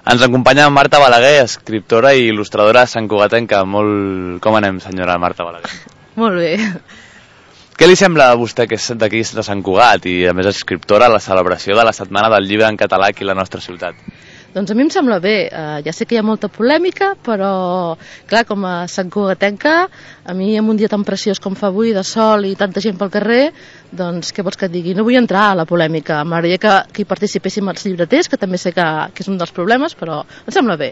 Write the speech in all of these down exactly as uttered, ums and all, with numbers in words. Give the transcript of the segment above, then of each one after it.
Ens acompanya Marta Balaguer, escriptora i il·lustradora santcugatenca. Molt... Com anem, senyora Marta Balaguer? Molt bé. Què li sembla a vostè que és d'aquí de Sant Cugat i a més escriptora a la celebració de la Setmana del Llibre en Català aquí a la nostra ciutat? Doncs a mi em sembla bé. Uh, ja sé que hi ha molta polèmica, però clar, com a santcugatenca, a mi en un dia tan preciós com fa avui, de sol i tanta gent pel carrer, doncs què vols que et digui? No vull entrar a la polèmica. M'agradaria que, que hi participéssim els llibreters, que també sé que, que és un dels problemes, però em sembla bé.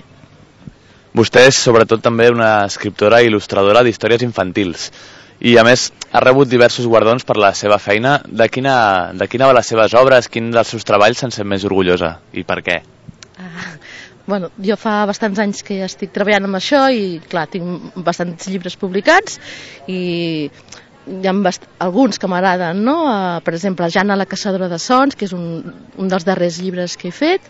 Vostè és sobretot també una escriptora i il·lustradora d'històries infantils i a més ha rebut diversos guardons per la seva feina. De quina, de quina de les seves obres, quin dels seus treballs se'n sent més orgullosa i per què? Ah, bueno, jo fa bastants anys que estic treballant amb això i clar, tinc bastants llibres publicats i hi ha bast... alguns que m'agraden, no? Uh, per exemple, Jana la caçadora de sons, que és un, un dels darrers llibres que he fet.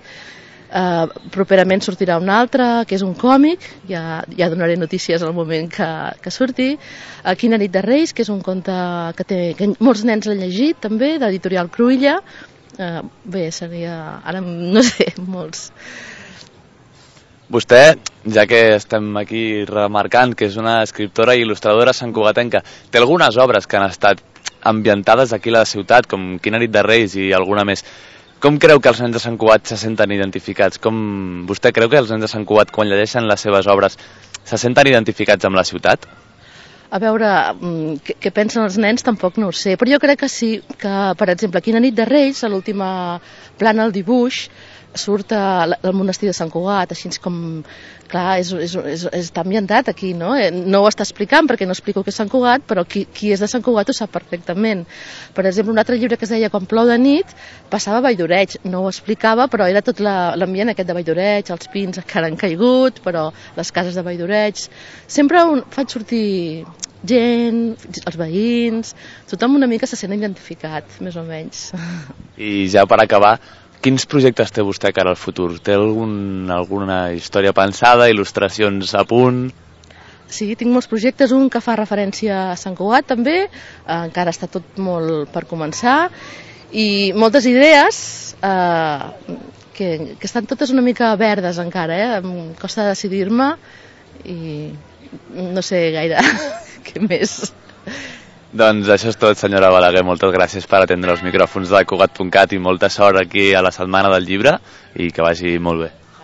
Uh, properament sortirà un altre, que és un còmic, ja, ja donaré notícies al moment que, que surti. uh, Quina nit de Reis, que és un conte que, té, que molts nens l'han llegit també, d'editorial Cruïlla. Uh, bé, seria, ara no sé, molts. Vostè, ja que estem aquí remarcant que és una escriptora i il·lustradora santcugatenca, té algunes obres que han estat ambientades aquí a la ciutat, com Quina nit de Reis i alguna més. Com creu que els nens de Sant Cugat se senten identificats? Com vostè creu que els nens de Sant Cugat, quan llegeixen les seves obres, se senten identificats amb la ciutat? A veure, què, què pensen els nens tampoc no ho sé, però jo crec que sí, que per exemple Quina nit de Reis, a l'última plana al dibuix, surt al monestir de Sant Cugat, així com, clar, és, és, és, està ambientat aquí, no? No ho està explicant perquè no explico què és Sant Cugat, però qui, qui és de Sant Cugat ho sap perfectament. Per exemple, un altre llibre que es deia Quan plou de nit, passava a Valldoreig, no ho explicava, però era tot l'ambient aquest de Valldoreig, els pins que han caigut, però les cases de Valldoreig. Sempre un, faig sortir gent, els veïns, tothom una mica se sent identificat, més o menys. I ja per acabar, quins projectes té vostè cara al futur? Té algun, alguna història pensada, il·lustracions a punt? Sí, tinc molts projectes, un que fa referència a Sant Cugat també, eh, encara està tot molt per començar, i moltes idees eh, que, que estan totes una mica verdes encara, eh? Em costa decidir-me i no sé gaire què més. Doncs això és tot, senyora Balaguer. Moltes gràcies per atendre els micròfons de Cugat punt cat i molta sort aquí a la Setmana del Llibre i que vagi molt bé.